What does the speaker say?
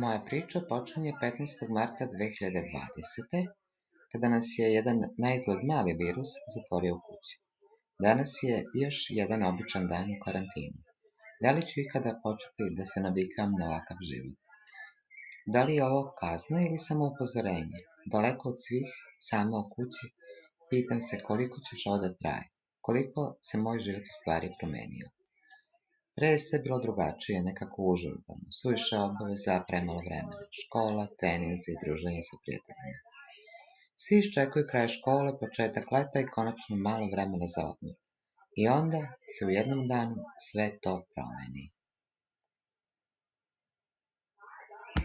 Moja priča počinje 15. marta 2020. kada nas je jedan naizgled mali virus zatvorio u kući. Danas je još jedan običan dan u karantinu. Da li ću ikada početi da se navikam na ovakav život? Da li je ovo kazna ili samo upozorenje? Daleko od svih, sama u kući, pitam se koliko će ovo da traje, koliko se moj život u stvari promenio. Pre je sve bilo drugačije, nekako užurbano, suviše obaveza, premalo vremena, škola, treninzi i druženje sa prijateljima. Svi iščekuju kraj škole, početak leta i konačno malo vremena za odmor. I onda se u jednom danu sve to promeni.